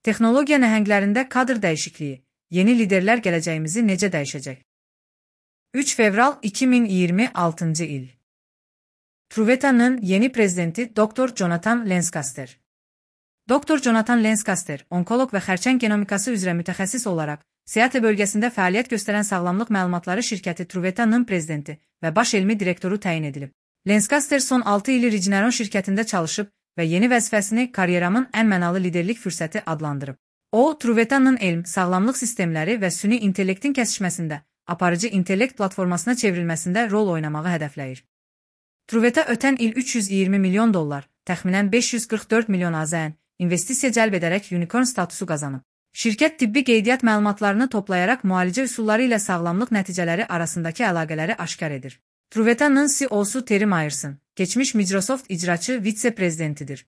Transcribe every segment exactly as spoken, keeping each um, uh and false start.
Texnologiya nəhənglərində kadr dəyişikliyi, yeni liderlər gələcəyimizi necə dəyişəcək? üç fevral iki min iyirmi altıncı il. Truveta'nın yeni prezidenti doktor Jonathan Lancaster. doktor Jonathan Lancaster, onkoloq və xərçəng genomikası üzrə mütəxəssis olaraq, Seattle bölgəsində fəaliyyət göstərən sağlamlıq məlumatları şirkəti Truveta'nın prezidenti və baş elmi direktoru təyin edilib. Lancaster son altı ili Regeneron şirkətində çalışıb və yeni vəzifəsini karyeramın ən mənalı liderlik fürsəti adlandırıb. O, Truveta'nın elm, sağlamlıq sistemləri və süni intellektin kəsişməsində, aparıcı intellekt platformasına çevrilməsində rol oynamağı hədəfləyir. Truveta ötən il üç yüz iyirmi milyon dollar, təxminən beş yüz qırx dörd milyon AZN, investisiya cəlb edərək unicorn statusu qazanıb. Şirkət tibbi qeydiyyat məlumatlarını toplayaraq müalicə üsulları ilə sağlamlıq nəticələri arasındakı əlaqələri aşkar edir. Truveta'nın C E O'su Terry Myerson, keçmiş Microsoft icraçı vitse-prezidentidir.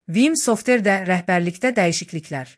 Vim Software'də rəhbərlikdə dəyişikliklər.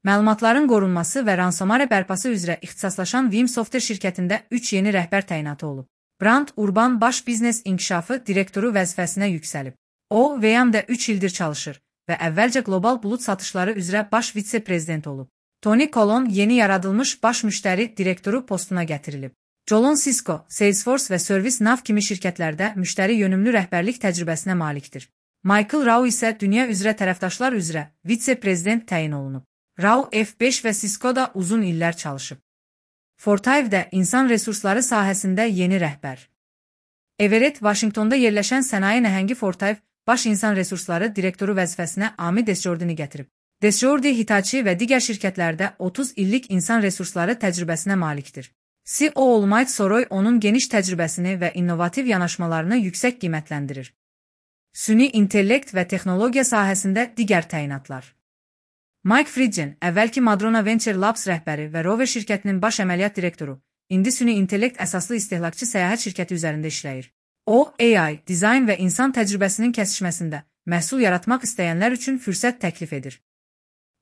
Məlumatların qorunması və ransomware bərpası üzrə ixtisaslaşan Vim Software şirkətində üç yeni rəhbər təyinatı olub. Brand Urban baş biznes inkişafı direktoru vəzifəsinə yüksəlib. O, V M-də üç ildir çalışır və əvvəlcə qlobal bulut satışları üzrə baş vitse-prezident olub. Tony Colon yeni yaradılmış baş müştəri direktoru postuna gətirilib. Jolon Cisco, Salesforce və ServiceNow kimi şirkətlərdə müştəri yönümlü rəhbərlik təcrübəsinə malikdir. Michael Rao isə dünya üzrə tərəfdaşlar üzrə vitse-prezident təyin olunub. Rao F beş və Cisco-da uzun illər çalışıb. Fortive'də insan resursları sahəsində yeni rəhbər. Everett, Washingtonda yerləşən sənaye nəhəngi Fortive, baş insan resursları direktoru vəzifəsinə Ami Desjordini gətirib. Desjordi Hitachi və digər şirkətlərdə otuz illik insan resursları təcrübəsinə malikdir. C E O Olmayt Soroy onun geniş təcrübəsini və innovativ yanaşmalarını yüksək qiymətləndirir. Süni intellekt və texnologiya sahəsində digər təyinatlar. Mike Fridgen, əvvəlki Madrona Venture Labs rəhbəri və Rover şirkətinin baş əməliyyat direktoru, indi süni intellekt əsaslı istehlakçı səyahət şirkəti üzərində işləyir. O, A I, dizayn və insan təcrübəsinin kəsişməsində məhsul yaratmaq istəyənlər üçün fürsət təklif edir.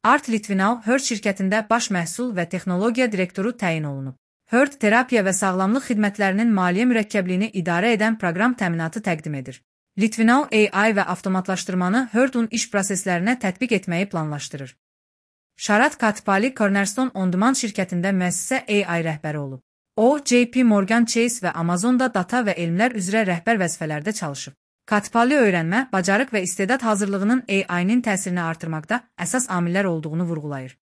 Art Litvinov, Herd şirkətində baş məhsul və texnologiya direktoru təyin olunub. Herd terapiya və sağlamlıq xidmətlərinin maliyyə mürəkkəbliyini idarə edən proqram təminatı təqdim edir. Litvinov A I və avtomatlaşdırmanı Herd'un iş proseslərinə tətbiq etməyi planlaşdırır. Sharat Katpali Cornerstone On Demand şirkətində müəssisə A I rəhbəri olub. O, J P Morgan Chase və Amazonda data və elmlər üzrə rəhbər vəzifələrdə çalışıb. Katpali öyrənmə, bacarıq və istedad hazırlığının A I-nin təsirini artırmaqda əsas amillər olduğunu vurğulayır.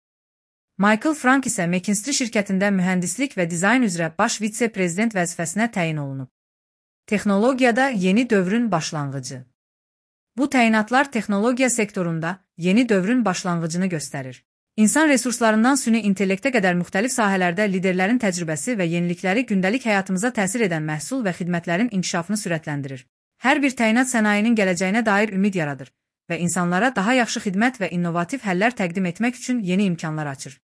Michael Frank isə McKinsey şirkətində mühəndislik və dizayn üzrə baş vitse-prezident vəzifəsinə təyin olunub. Texnologiyada yeni dövrün başlanğıcı. Bu təyinatlar texnologiya sektorunda yeni dövrün başlanğıcını göstərir. İnsan resurslarından süni intellektə qədər müxtəlif sahələrdə liderlərin təcrübəsi və yenilikləri gündəlik həyatımıza təsir edən məhsul və xidmətlərin inkişafını sürətləndirir. Hər bir təyinat sənayenin gələcəyinə dair ümid yaradır və insanlara daha yaxşı xidmət və innovativ həllər təqdim etmək üçün yeni imkanlar açır.